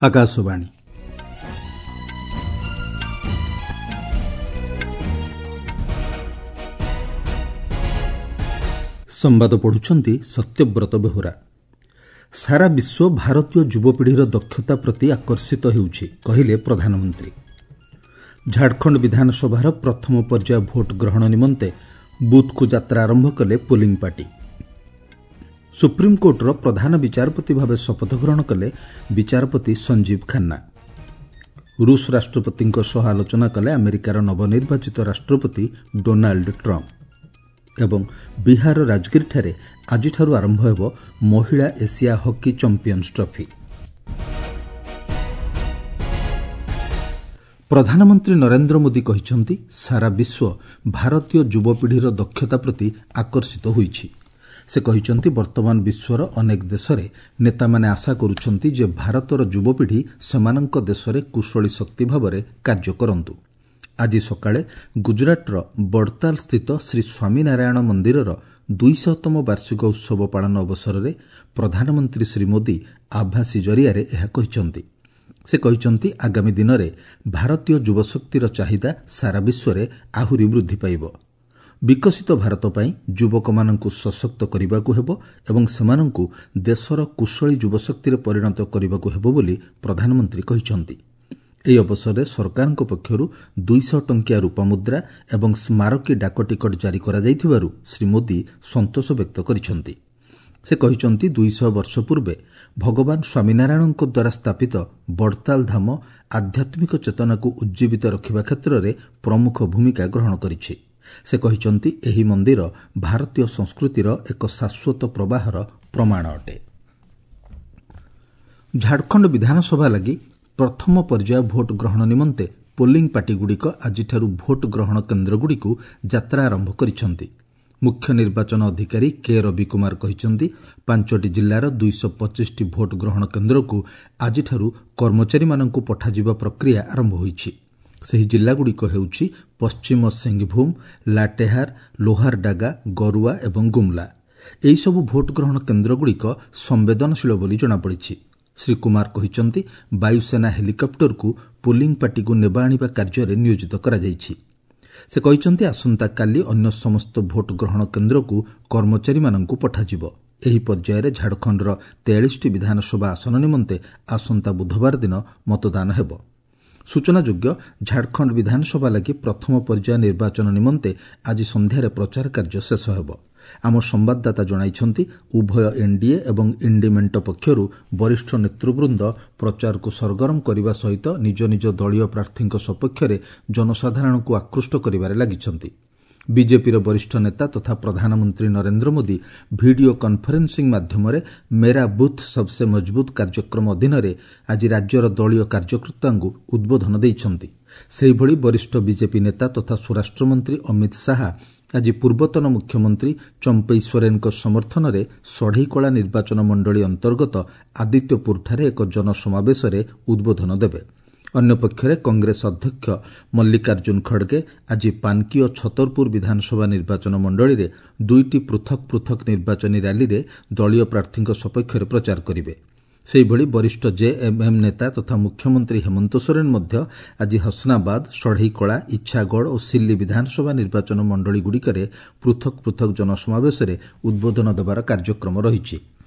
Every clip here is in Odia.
ଆକାଶବାଣୀ। ସମ୍ବାଦ ପଢ଼ୁଛନ୍ତି ସତ୍ୟବ୍ରତ ବେହୁରା। ସାରା ବିଶ୍ୱ ଭାରତୀୟ ଯୁବପିଢ଼ିର ଦକ୍ଷତା ପ୍ରତି ଆକର୍ଷିତ ହେଉଛି, କହିଲେ ପ୍ରଧାନମନ୍ତ୍ରୀ। ଝାଡ଼ଖଣ୍ଡ ବିଧାନସଭାର ପ୍ରଥମ ପର୍ଯ୍ୟାୟ ଭୋଟ୍ ଗ୍ରହଣ ନିମନ୍ତେ ବୁଥ୍କୁ ଯାତ୍ରା ଆରମ୍ଭ କଲେ ପୋଲିଂ ପାର୍ଟି। ସୁପ୍ରିମକୋର୍ଟର ପ୍ରଧାନ ବିଚାରପତି ଭାବେ ଶପଥ ଗ୍ରହଣ କଲେ ବିଚାରପତି ସଞ୍ଜୀବ ଖାନ୍ନା। ରୁଷ ରାଷ୍ଟ୍ରପତିଙ୍କ ସହ ଆଲୋଚନା କଲେ ଆମେରିକାର ନବନିର୍ବାଚିତ ରାଷ୍ଟ୍ରପତି ଡୋନାଲ୍ଡ ଟ୍ରମ୍ପ। ଏବଂ ବିହାର ରାଜଗିରିଠାରେ ଆଜିଠାରୁ ଆରମ୍ଭ ହେବ ମହିଳା ଏସିଆ ହକି ଚାମ୍ପିୟନ୍ସ ଟ୍ରଫି। ପ୍ରଧାନମନ୍ତ୍ରୀ ନରେନ୍ଦ୍ର ମୋଦି କହିଛନ୍ତି, ସାରା ବିଶ୍ୱ ଭାରତୀୟ ଯୁବପିଢ଼ିର ଦକ୍ଷତା ପ୍ରତି ଆକର୍ଷିତ ହୋଇଛି। ସେ କହିଛନ୍ତି, ବର୍ତ୍ତମାନ ବିଶ୍ୱର ଅନେକ ଦେଶରେ ନେତାମାନେ ଆଶା କରୁଛନ୍ତି ଯେ ଭାରତର ଯୁବପିଢ଼ି ସେମାନଙ୍କ ଦେଶରେ କୁଶଳୀ ଶକ୍ତି ଭାବରେ କାର୍ଯ୍ୟ କରନ୍ତୁ। ଆଜି ସକାଳେ ଗୁଜରାଟର ବଡ଼ତାଲ ସ୍ଥିତ ଶ୍ରୀ ସ୍ୱାମୀନାରାୟଣ ମନ୍ଦିରର 200ତମ ବାର୍ଷିକ ଉତ୍ସବ ପାଳନ ଅବସରରେ ପ୍ରଧାନମନ୍ତ୍ରୀ ଶ୍ରୀ ମୋଦି ଆଭାସୀ ଜରିଆରେ ଏହା କହିଛନ୍ତି। ସେ କହିଛନ୍ତି, ଆଗାମୀ ଦିନରେ ଭାରତୀୟ ଯୁବଶକ୍ତିର ଚାହିଦା ସାରା ବିଶ୍ୱରେ ଆହୁରି ବୃଦ୍ଧି ପାଇବ। ବିକଶିତ ଭାରତ ପାଇଁ ଯୁବକମାନଙ୍କୁ ସଶକ୍ତ କରିବାକୁ ହେବ ଏବଂ ସେମାନଙ୍କୁ ଦେଶର କୁଶଳୀ ଯୁବଶକ୍ତିରେ ପରିଣତ କରିବାକୁ ହେବ ବୋଲି ପ୍ରଧାନମନ୍ତ୍ରୀ କହିଛନ୍ତି। ଏହି ଅବସରରେ ସରକାରଙ୍କ ପକ୍ଷରୁ 200 ଟଙ୍କିଆ ରୂପାମୁଦ୍ରା ଏବଂ ସ୍ମାରକୀ ଡାକଟିକଟ ଜାରି କରାଯାଇଥିବାରୁ ଶ୍ରୀ ମୋଦି ସନ୍ତୋଷ ବ୍ୟକ୍ତ କରିଛନ୍ତି। ସେ କହିଛନ୍ତି, 200 ବର୍ଷ ପୂର୍ବେ ଭଗବାନ ସ୍ୱାମୀନାରାୟଣଙ୍କ ଦ୍ୱାରା ସ୍ଥାପିତ ବଡ଼ତାଲ ଧାମ ଆଧ୍ୟାତ୍ମିକ ଚେତନାକୁ ଉଜ୍ଜୀବିତ ରଖିବା କ୍ଷେତ୍ରରେ ପ୍ରମୁଖ ଭୂମିକା ଗ୍ରହଣ କରିଛି। ସେ କହିଛନ୍ତି, ଏହି ମନ୍ଦିର ଭାରତୀୟ ସଂସ୍କୃତିର ଏକ ଶାଶ୍ୱତ ପ୍ରବାହର ପ୍ରମାଣ ଅଟେ। ଝାଡ଼ଖଣ୍ଡ ବିଧାନସଭା ଲାଗି ପ୍ରଥମ ପର୍ଯ୍ୟାୟ ଭୋଟ୍ ଗ୍ରହଣ ନିମନ୍ତେ ପୋଲିଂ ପାର୍ଟିଗୁଡ଼ିକ ଆଜିଠାରୁ ଭୋଟ୍ ଗ୍ରହଣ କେନ୍ଦ୍ରଗୁଡ଼ିକୁ ଯାତ୍ରା ଆରମ୍ଭ କରିଛନ୍ତି। ମୁଖ୍ୟ ନିର୍ବାଚନ ଅଧିକାରୀ କେ ରବି କୁମାର କହିଛନ୍ତି, 5ଟି ଜିଲ୍ଲାର 225ଟି ଭୋଟ୍ ଗ୍ରହଣ କେନ୍ଦ୍ରକୁ ଆଜିଠାରୁ କର୍ମଚାରୀମାନଙ୍କୁ ପଠାଯିବା ପ୍ରକ୍ରିୟା ଆରମ୍ଭ ହୋଇଛି। ସେହି ଜିଲ୍ଲାଗୁଡ଼ିକ ହେଉଛି ପଶ୍ଚିମ ସିଂହଭୂମ, ଲାଟେହାର, ଲୋହାରଡାଗା, ଗରୁଆ ଏବଂ ଗୁମ୍ଲା। ଏହିସବୁ ଭୋଟ୍ ଗ୍ରହଣ କେନ୍ଦ୍ରଗୁଡ଼ିକ ସମ୍ବେଦନଶୀଳ ବୋଲି ଜଣାପଡ଼ିଛି। ଶ୍ରୀ କୁମାର କହିଛନ୍ତି, ବାୟୁସେନା ହେଲିକପ୍ଟରକୁ ପୋଲିଂ ପାର୍ଟିକୁ ନେବା ଆଣିବା କାର୍ଯ୍ୟରେ ନିୟୋଜିତ କରାଯାଇଛି। ସେ କହିଛନ୍ତି, ଆସନ୍ତାକାଲି ଅନ୍ୟ ସମସ୍ତ ଭୋଟ୍ ଗ୍ରହଣ କେନ୍ଦ୍ରକୁ କର୍ମଚାରୀମାନଙ୍କୁ ପଠାଯିବ। ଏହି ପର୍ଯ୍ୟାୟରେ ଝାଡ଼ଖଣ୍ଡର 43ଟି ବିଧାନସଭା ଆସନ ନିମନ୍ତେ ଆସନ୍ତା ବୁଧବାର ଦିନ ମତଦାନ ହେବ। ସୂଚନାଯୋଗ୍ୟ, ଝାଡ଼ଖଣ୍ଡ ବିଧାନସଭା ଲାଗି ପ୍ରଥମ ପର୍ଯ୍ୟାୟ ନିର୍ବାଚନ ନିମନ୍ତେ ଆଜି ସନ୍ଧ୍ୟାରେ ପ୍ରଚାର କାର୍ଯ୍ୟ ଶେଷ ହେବ। ଆମ ସମ୍ବାଦଦାତା ଜଣାଇଛନ୍ତି, ଉଭୟ ଏନ୍ଡିଏ ଏବଂ ଇଣ୍ଡି ମେଣ୍ଟ ପକ୍ଷରୁ ବରିଷ୍ଠ ନେତୃବୃନ୍ଦ ପ୍ରଚାରକୁ ସରଗରମ କରିବା ସହିତ ନିଜ ନିଜ ଦଳୀୟ ପ୍ରାର୍ଥୀଙ୍କ ସପକ୍ଷରେ ଜନସାଧାରଣଙ୍କୁ ଆକୃଷ୍ଟ କରିବାରେ ଲାଗିଛନ୍ତି। ବିଜେପିର ବରିଷ୍ଠ ନେତା ତଥା ପ୍ରଧାନମନ୍ତ୍ରୀ ନରେନ୍ଦ୍ର ମୋଦି ଭିଡିଓ କନ୍ଫରେନ୍ସିଂ ମାଧ୍ୟମରେ ମେରା ବୁଥ୍ ସବ୍ସେ ମଜବୁତ୍ କାର୍ଯ୍ୟକ୍ରମ ଅଧୀନରେ ଆଜି ରାଜ୍ୟର ଦଳୀୟ କାର୍ଯ୍ୟକର୍ତ୍ତାଙ୍କୁ ଉଦ୍ବୋଧନ ଦେଇଛନ୍ତି। ସେହିଭଳି ବରିଷ୍ଠ ବିଜେପି ନେତା ତଥା ସ୍ୱରାଷ୍ଟ୍ରମନ୍ତ୍ରୀ ଅମିତ ଶାହା ଆଜି ପୂର୍ବତନ ମୁଖ୍ୟମନ୍ତ୍ରୀ ଚମ୍ପେଇ ସୋରେନ୍ଙ୍କ ସମର୍ଥନରେ ଷଢ଼େଇକଳା ନିର୍ବାଚନ ମଣ୍ଡଳୀ ଅନ୍ତର୍ଗତ ଆଦିତ୍ୟପୁରଠାରେ ଏକ ଜନସମାବେଶରେ ଉଦ୍ବୋଧନ ଦେବେ। ଅନ୍ୟପକ୍ଷରେ କଂଗ୍ରେସ ଅଧ୍ୟକ୍ଷ ମଲ୍ଲିକାର୍ଜୁନ ଖଡ଼ଗେ ଆଜି ପାନ୍କି ଓ ଛତରପୁର ବିଧାନସଭା ନିର୍ବାଚନ ମଣ୍ଡଳୀରେ 2ଟି ପୃଥକ୍ ପୃଥକ୍ ନିର୍ବାଚନୀ ର୍ୟାଲିରେ ଦଳୀୟ ପ୍ରାର୍ଥୀଙ୍କ ସପକ୍ଷରେ ପ୍ରଚାର କରିବେ। ସେହିଭଳି ବରିଷ୍ଠ ଜେଏମ୍ଏମ୍ ନେତା ତଥା ମୁଖ୍ୟମନ୍ତ୍ରୀ ହେମନ୍ତ ସୋରେନ୍ ମଧ୍ୟ ଆଜି ହସନାବାଦ, ଷଢ଼େଇକଳା, ଇଚ୍ଛାଗଡ଼ ଓ ସିଲ୍ଲି ବିଧାନସଭା ନିର୍ବାଚନ ମଣ୍ଡଳୀଗୁଡ଼ିକରେ ପୃଥକ୍ ପୃଥକ୍ ଜନସମାବେଶରେ ଉଦ୍ବୋଧନ ଦେବାର କାର୍ଯ୍ୟକ୍ରମ ରହିଛି।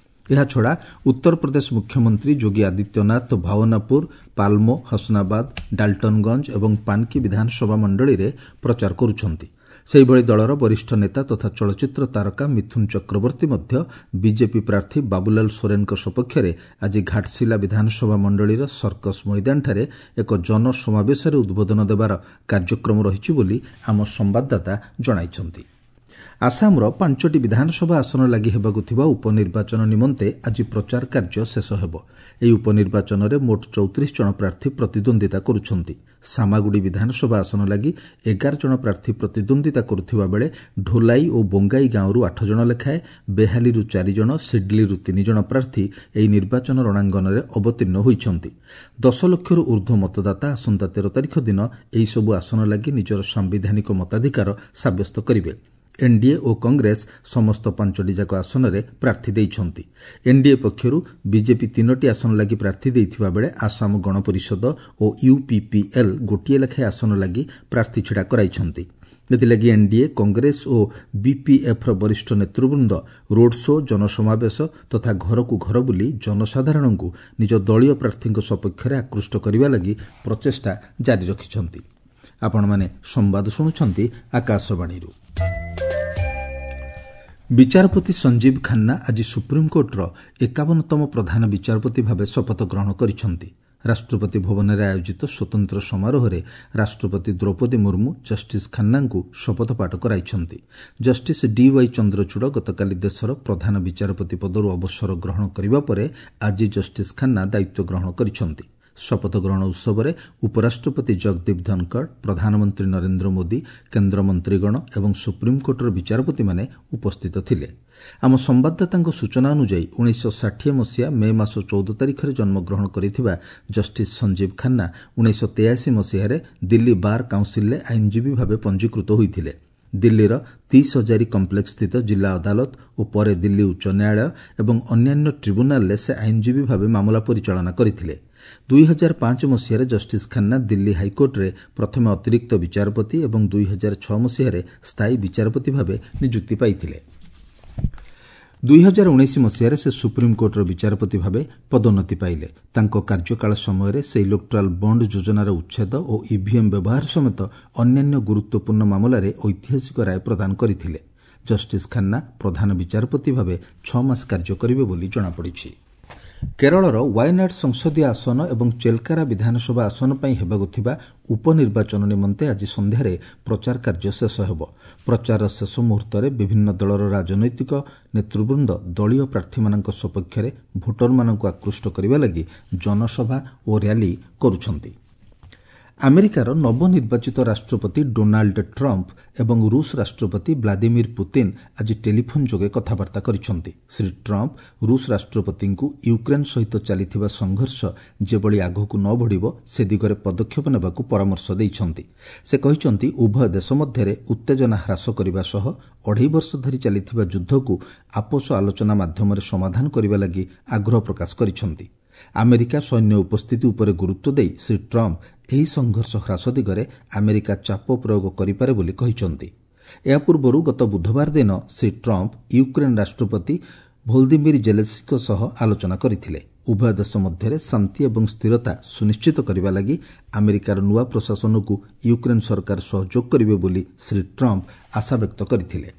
ଏହାଛଡ଼ା ଉତ୍ତରପ୍ରଦେଶ ମୁଖ୍ୟମନ୍ତ୍ରୀ ଯୋଗୀ ଆଦିତ୍ୟନାଥ ଭାଓନାପୁର, ପାଲ୍ମୋ, ହସନାବାଦ, ଡାଲ୍ଟନଗଞ୍ଜ ଏବଂ ପାନ୍କି ବିଧାନସଭା ମଣ୍ଡଳୀରେ ପ୍ରଚାର କରୁଛନ୍ତି। ସେହିଭଳି ଦଳର ବରିଷ୍ଠ ନେତା ତଥା ଚଳଚ୍ଚିତ୍ର ତାରକା ମିଥୁନ ଚକ୍ରବର୍ତ୍ତୀ ମଧ୍ୟ ବିଜେପି ପ୍ରାର୍ଥୀ ବାବୁଲାଲ ସୋରେନ୍ଙ୍କ ସପକ୍ଷରେ ଆଜି ଘାଟଶିଲା ବିଧାନସଭା ମଣ୍ଡଳୀର ସର୍କସ ମଇଦାନଠାରେ ଏକ ଜନସମାବେଶରେ ଉଦ୍ବୋଧନ ଦେବାର କାର୍ଯ୍ୟକ୍ରମ ରହିଛି ବୋଲି ଆମ ସମ୍ବାଦଦାତା ଜଣାଇଛନ୍ତି। ଆସାମର 5ଟି ବିଧାନସଭା ଆସନ ଲାଗି ହେବାକୁ ଥିବା ଉପନିର୍ବାଚନ ନିମନ୍ତେ ଆଜି ପ୍ରଚାର କାର୍ଯ୍ୟ ଶେଷ ହେବ। ଏହି ଉପନିର୍ବାଚନରେ ମୋଟ 34 ଜଣ ପ୍ରାର୍ଥୀ ପ୍ରତିଦ୍ୱନ୍ଦିତା କରୁଛନ୍ତି। ସାମାଗୁଡ଼ି ବିଧାନସଭା ଆସନ ଲାଗି 11 ଜଣ ପ୍ରାର୍ଥୀ ପ୍ରତିଦ୍ୱନ୍ଦିତା କରୁଥିବା ବେଳେ ଢୋଲାଇ ଓ ବୋଙ୍ଗାଇ ଗାଁରୁ 8 ଜଣ ଲେଖାଏଁ, ବେହାଲିରୁ 4 ଜଣ, ସିଡ୍ଲିରୁ 3 ଜଣ ପ୍ରାର୍ଥୀ ଏହି ନିର୍ବାଚନ ରଣାଙ୍ଗନରେ ଅବତୀର୍ଣ୍ଣ ହୋଇଛନ୍ତି। 10 ଲକ୍ଷରୁ ଊର୍ଦ୍ଧ୍ୱ ମତଦାତା ଆସନ୍ତା 13 ତାରିଖ ଦିନ ଏହିସବୁ ଆସନ ଲାଗି ନିଜର ସାମ୍ବିଧାନିକ ମତାଧିକାର ସାବ୍ୟସ୍ତ କରିବେ। ଏନ୍ଡିଏ ଓ କଂଗ୍ରେସ ସମସ୍ତ 5ଟି ଯାକ ଆସନରେ ପ୍ରାର୍ଥୀ ଦେଇଛନ୍ତି। ଏନ୍ଡିଏ ପକ୍ଷରୁ ବିଜେପି 3ଟି ଆସନ ଲାଗି ପ୍ରାର୍ଥୀ ଦେଇଥିବା ବେଳେ ଆସାମ ଗଣପରିଷଦ ଓ ୟୁପିପିଏଲ୍ ଗୋଟିଏ ଲେଖାଏଁ ଆସନ ଲାଗି ପ୍ରାର୍ଥୀ ଛିଡ଼ା କରାଇଛନ୍ତି। ଏଥିଲାଗି ଏନ୍ଡିଏ, କଂଗ୍ରେସ ଓ ବିପିଏଫ୍ର ବରିଷ୍ଠ ନେତୃବୃନ୍ଦ ରୋଡ୍ ଶୋ, ଜନସମାବେଶ ତଥା ଘରକୁ ଘର ବୁଲି ଜନସାଧାରଣଙ୍କୁ ନିଜ ଦଳୀୟ ପ୍ରାର୍ଥୀଙ୍କ ସପକ୍ଷରେ ଆକୃଷ୍ଟ କରିବା ଲାଗି ପ୍ରଚେଷ୍ଟା ଜାରି ରଖିଛନ୍ତି। ଆପଣମାନେ ସମ୍ବାଦ ଶୁଣୁଛନ୍ତି ଆକାଶବାଣୀରୁ। ବିଚାରପତି ସଞ୍ଜୀବ ଖାନ୍ନା ଆଜି ସୁପ୍ରିମକୋର୍ଟର 51ତମ ପ୍ରଧାନ ବିଚାରପତି ଭାବେ ଶପଥ ଗ୍ରହଣ କରିଛନ୍ତି। ରାଷ୍ଟ୍ରପତି ଭବନରେ ଆୟୋଜିତ ସ୍ୱତନ୍ତ୍ର ସମାରୋହରେ ରାଷ୍ଟ୍ରପତି ଦ୍ରୌପଦୀ ମୁର୍ମୁ ଜଷ୍ଟିସ୍ ଖାନ୍ନାଙ୍କୁ ଶପଥପାଠ କରାଇଛନ୍ତି। ଜଷ୍ଟିସ୍ ଡିୱାଇ ଚନ୍ଦ୍ରଚୂଡ଼ ଗତକାଲି ଦେଶର ପ୍ରଧାନ ବିଚାରପତି ପଦରୁ ଅବସର ଗ୍ରହଣ କରିବା ପରେ ଆଜି ଜଷ୍ଟିସ୍ ଖାନ୍ନା ଦାୟିତ୍ୱ ଗ୍ରହଣ କରିଛନ୍ତି। ଶପଥ ଗ୍ରହଣ ଉତ୍ସବରେ ଉପରାଷ୍ଟ୍ରପତି ଜଗଦୀପ ଧନଖଡ଼, ପ୍ରଧାନମନ୍ତ୍ରୀ ନରେନ୍ଦ୍ର ମୋଦି, କେନ୍ଦ୍ରମନ୍ତ୍ରୀଗଣ ଏବଂ ସୁପ୍ରିମକୋର୍ଟର ବିଚାରପତିମାନେ ଉପସ୍ଥିତ ଥିଲେ। ଆମ ସମ୍ବାଦଦାତାଙ୍କ ସୂଚନା ଅନୁଯାୟୀ 1960 ମସିହା ମେ ମାସ 14 ତାରିଖରେ ଜନ୍ମଗ୍ରହଣ କରିଥିବା ଜଷ୍ଟିସ୍ ସଞ୍ଜୀବ ଖାନ୍ନା 1983 ମସିହାରେ ଦିଲ୍ଲୀ ବାର୍ କାଉନ୍ସିଲ୍ରେ ଆଇନଜୀବୀ ଭାବେ ପଞ୍ଜୀକୃତ ହୋଇଥିଲେ। ଦିଲ୍ଲୀର 30 ହଜାରୀ କମ୍ପ୍ଲେକ୍ସ ସ୍ଥିତ ଜିଲ୍ଲା ଅଦାଲତ ଓ ପରେ ଦିଲ୍ଲୀ ଉଚ୍ଚ ନ୍ୟାୟାଳୟ ଏବଂ ଅନ୍ୟାନ୍ୟ ଟ୍ରିବ୍ୟୁନାଲରେ ସେ ଆଇନଜୀବୀ ଭାବେ ମାମଲା ପରିଚାଳନା କରିଥିଲେ। 2005 ମସିହାରେ ଜଷ୍ଟିସ୍ ଖାନ୍ନା ଦିଲ୍ଲୀ ହାଇକୋର୍ଟରେ ପ୍ରଥମେ ଅତିରିକ୍ତ ବିଚାରପତି ଏବଂ 2006 ମସିହାରେ ସ୍ଥାୟୀ ବିଚାରପତି ଭାବେ ନିଯୁକ୍ତି ପାଇଥିଲେ। 2019 ମସିହାରେ ସେ ସୁପ୍ରିମକୋର୍ଟର ବିଚାରପତି ଭାବେ ପଦୋନ୍ନତି ପାଇଲେ। ତାଙ୍କ କାର୍ଯ୍ୟକାଳ ସମୟରେ ସେ ଇଲେକ୍ଟ୍ରାଲ୍ ବଣ୍ଡ ଯୋଜନାର ଉଚ୍ଛେଦ ଓ ଇଭିଏମ୍ ବ୍ୟବହାର ସମେତ ଅନ୍ୟାନ୍ୟ ଗୁରୁତ୍ୱପୂର୍ଣ୍ଣ ମାମଲାରେ ଐତିହାସିକ ରାୟ ପ୍ରଦାନ କରିଥିଲେ। ଜଷ୍ଟିସ୍ ଖାନ୍ନା ପ୍ରଧାନ ବିଚାରପତି ଭାବେ 6 ମାସ କାର୍ଯ୍ୟ କରିବେ ବୋଲି ଜଣାପଡ଼ିଛି। କେରଳର ୱାୟନାଡ୍ ସଂସଦୀୟ ଆସନ ଏବଂ ଚେଲକାରା ବିଧାନସଭା ଆସନ ପାଇଁ ହେବାକୁ ଥିବା ଉପନିର୍ବାଚନ ନିମନ୍ତେ ଆଜି ସନ୍ଧ୍ୟାରେ ପ୍ରଚାର କାର୍ଯ୍ୟ ଶେଷ ହେବ। ପ୍ରଚାରର ଶେଷ ମୁହୂର୍ତ୍ତରେ ବିଭିନ୍ନ ଦଳର ରାଜନୈତିକ ନେତୃବୃନ୍ଦ ଦଳୀୟ ପ୍ରାର୍ଥୀମାନଙ୍କ ସପକ୍ଷରେ ଭୋଟରମାନଙ୍କୁ ଆକୃଷ୍ଟ କରିବା ଲାଗି ଜନସଭା ଓ ର୍ୟାଲି କରୁଛନ୍ତି। ଆମେରିକାର ନବନିର୍ବାଚିତ ରାଷ୍ଟ୍ରପତି ଡୋନାଲ୍ଡ ଟ୍ରମ୍ପ ଏବଂ ରୁଷ ରାଷ୍ଟ୍ରପତି ଭ୍ଲାଦିମିର ପୁତିନ୍ ଆଜି ଟେଲିଫୋନ୍ ଯୋଗେ କଥାବାର୍ତ୍ତା କରିଛନ୍ତି। ଶ୍ରୀ ଟ୍ରମ୍ପ ରୁଷ ରାଷ୍ଟ୍ରପତିଙ୍କୁ ୟୁକ୍ରେନ୍ ସହିତ ଚାଲିଥିବା ସଂଘର୍ଷ ଯେଭଳି ଆଗକୁ ନ ବଢ଼ିବ ସେ ଦିଗରେ ପଦକ୍ଷେପ ନେବାକୁ ପରାମର୍ଶ ଦେଇଛନ୍ତି। ସେ କହିଛନ୍ତି, ଉଭୟ ଦେଶ ମଧ୍ୟରେ ଉତ୍ତେଜନା ହ୍ରାସ କରିବା ସହ 2.5 ବର୍ଷ ଧରି ଚାଲିଥିବା ଯୁଦ୍ଧକୁ ଆପୋଷ ଆଲୋଚନା ମାଧ୍ୟମରେ ସମାଧାନ କରିବା ଲାଗି ଆଗ୍ରହ ପ୍ରକାଶ କରିଛନ୍ତି। ଆମେରିକା ସୈନ୍ୟ ଉପସ୍ଥିତି ଉପରେ ଗୁରୁତ୍ୱ ଦେଇ ଶ୍ରୀ ଟ୍ରମ୍ପ ଏହି ସଂଘର୍ଷ ହ୍ରାସ ଦିଗରେ ଆମେରିକା ଚାପ ପ୍ରୟୋଗ କରିପାରେ ବୋଲି କହିଛନ୍ତି। ଏହା ପୂର୍ବରୁ ଗତ ବୁଧବାର ଦିନ ଶ୍ରୀ ଟ୍ରମ୍ପ ୟୁକ୍ରେନ୍ ରାଷ୍ଟ୍ରପତି ଭୋଲଦିମିର ଜେଲେନ୍ସ୍କିଙ୍କ ସହ ଆଲୋଚନା କରିଥିଲେ। ଉଭୟ ଦେଶ ମଧ୍ୟରେ ଶାନ୍ତି ଏବଂ ସ୍ଥିରତା ସୁନିଶ୍ଚିତ କରିବା ଲାଗି ଆମେରିକାର ନୂଆ ପ୍ରଶାସନକୁ ୟୁକ୍ରେନ୍ ସରକାର ସହଯୋଗ କରିବେ ବୋଲି ଶ୍ରୀ ଟ୍ରମ୍ପ ଆଶାବ୍ୟକ୍ତ କରିଥିଲେ।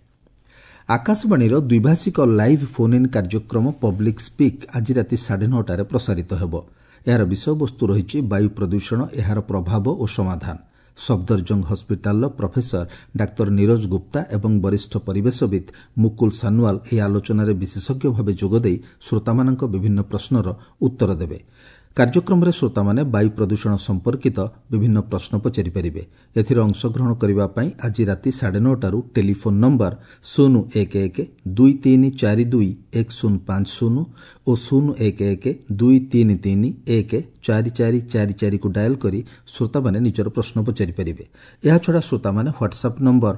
ଆକାଶବାଣୀର ଦ୍ୱିଭାଷିକ ଲାଇଭ୍ ଫୋନ୍ ଇନ୍ କାର୍ଯ୍ୟକ୍ରମ ପବ୍ଲିକ୍ ସ୍ପିକ୍ ଆଜି ରାତି 9:30ରେ ପ୍ରସାରିତ ହେବ। ଏହାର ବିଷୟବସ୍ତୁ ରହିଛି ବାୟୁ ପ୍ରଦୂଷଣ, ଏହାର ପ୍ରଭାବ ଓ ସମାଧାନ। ସଫଦରଜଙ୍ଗ ହସ୍ପିଟାଲର ପ୍ରଫେସର ଡାକ୍ତର ନିରୋଜ ଗୁପ୍ତା ଏବଂ ବରିଷ୍ଠ ପରିବେଶବିତ୍ ମୁକୁଲ ସାନୱାଲ ଏହି ଆଲୋଚନାରେ ବିଶେଷଜ୍ଞ ଭାବେ ଯୋଗଦେଇ ଶ୍ରୋତାମାନଙ୍କ ବିଭିନ୍ନ ପ୍ରଶ୍ନର ଉତ୍ତର ଦେବେ। କାର୍ଯ୍ୟକ୍ରମରେ ଶ୍ରୋତାମାନେ ବାୟୁ ପ୍ରଦୂଷଣ ସମ୍ପର୍କିତ ବିଭିନ୍ନ ପ୍ରଶ୍ନ ପଚାରିପାରିବେ। ଏଥିରେ ଅଂଶଗ୍ରହଣ କରିବା ପାଇଁ ଆଜି ରାତି 9:30ରୁ ଟେଲିଫୋନ୍ ନମ୍ବର 011 2342 1050 ଓ 011 233 14444କୁ ଡାଏଲ୍ କରି ଶ୍ରୋତାମାନେ ନିଜର ପ୍ରଶ୍ନ ପଚାରିପାରିବେ। ଏହାଛଡ଼ା ଶ୍ରୋତାମାନେ ହ୍ୱାଟ୍ସଆପ୍ ନମ୍ବର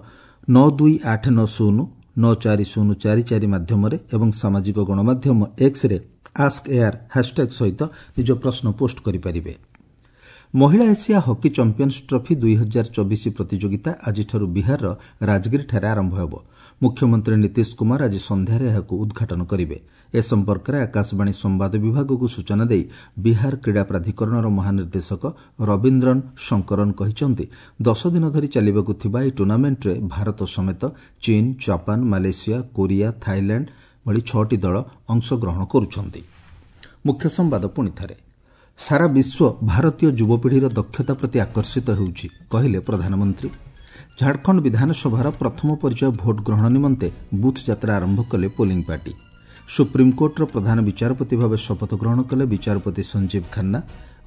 92890 94044 ମାଧ୍ୟମରେ ଏବଂ ସାମାଜିକ ଗଣମାଧ୍ୟମ ଏକ୍ସରେ ଆସ୍କ ଏୟାର ହ୍ୟାସ୍ଟ୍ୟାଗ୍ ସହିତ ନିଜ ପ୍ରଶ୍ନ ପୋଷ୍ଟ କରିପାରିବେ। ମହିଳା ଏସିଆ ହକି ଚାମ୍ପିୟନ୍ସ ଟ୍ରଫି 2024 ପ୍ରତିଯୋଗିତା ଆଜିଠାରୁ ବିହାରର ରାଜଗିରିଠାରେ ଆରମ୍ଭ ହେବ। ମୁଖ୍ୟମନ୍ତ୍ରୀ ନୀତିଶ କୁମାର ଆଜି ସନ୍ଧ୍ୟାରେ ଏହାକୁ ଉଦ୍ଘାଟନ କରିବେ। ଏ ସମ୍ପର୍କରେ ଆକାଶବାଣୀ ସମ୍ବାଦ ବିଭାଗକୁ ସୂଚନା ଦେଇ ବିହାର କ୍ରୀଡ଼ା ପ୍ରାଧିକରଣର ମହାନିର୍ଦ୍ଦେଶକ ରବୀନ୍ଦ୍ରନ ଶଙ୍କରନ୍ କହିଛନ୍ତି, 10 ଦିନ ଧରି ଚାଲିବାକୁ ଥିବା ଏହି ଟୁର୍ଣ୍ଣାମେଣ୍ଟରେ ଭାରତ ସମେତ ଚୀନ୍, ଜାପାନ, ମାଲେସିଆ, କୋରିଆ, ଥାଇଲ୍ୟାଣ୍ଡ ଭଳି 6ଟି ଦଳ ଅଂଶଗ୍ରହଣ କରୁଛନ୍ତି। ମୁଖ୍ୟ ସମ୍ବାଦ ପୁଣିଥରେ। ସାରା ବିଶ୍ୱ ଭାରତୀୟ ଯୁବପିଢ଼ିର ଦକ୍ଷତା ପ୍ରତି ଆକର୍ଷିତ ହେଉଛି, କହିଲେ ପ୍ରଧାନମନ୍ତ୍ରୀ। ଝାଡ଼ଖଣ୍ଡ ବିଧାନସଭାର ପ୍ରଥମ ପର୍ଯ୍ୟାୟ ଭୋଟ୍ ଗ୍ରହଣ ନିମନ୍ତେ ବୁଥ୍ ଯାତ୍ରା ଆରମ୍ଭ କଲେ ପୋଲିଂ ପାର୍ଟି। ସୁପ୍ରିମକୋର୍ଟର ପ୍ରଧାନ ବିଚାରପତି ଭାବେ ଶପଥ ଗ୍ରହଣ କଲେ ବିଚାରପତି ସଞ୍ଜୀବ ଖାନ୍ନା।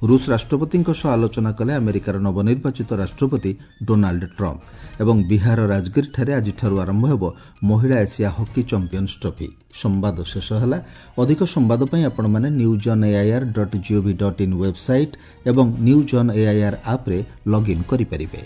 ରୁଷ ରାଷ୍ଟ୍ରପତିଙ୍କ ସହ ଆଲୋଚନା କଲେ ଆମେରିକାର ନବନିର୍ବାଚିତ ରାଷ୍ଟ୍ରପତି ଡୋନାଲ୍ଡ ଟ୍ରମ୍ପ। ଏବଂ ବିହାର ରାଜଗିରିଠାରେ ଆଜିଠାରୁ ଆରମ୍ଭ ହେବ ମହିଳା ଏସିଆ ହକି ଚାମ୍ପିୟନ୍ସ ଟ୍ରଫି। ସମ୍ବାଦ ଶେଷ ହେଲା। ଅଧିକ ସମ୍ବାଦ ପାଇଁ ଆପଣମାନେ news on AIR dot GOV dot in website ଏବଂ ନ୍ୟୁଜ୍ ଅନ୍ ଏଆଇଆର୍ ଆପ୍ରେ ଲଗ୍ଇନ୍ କରିପାରିବେ।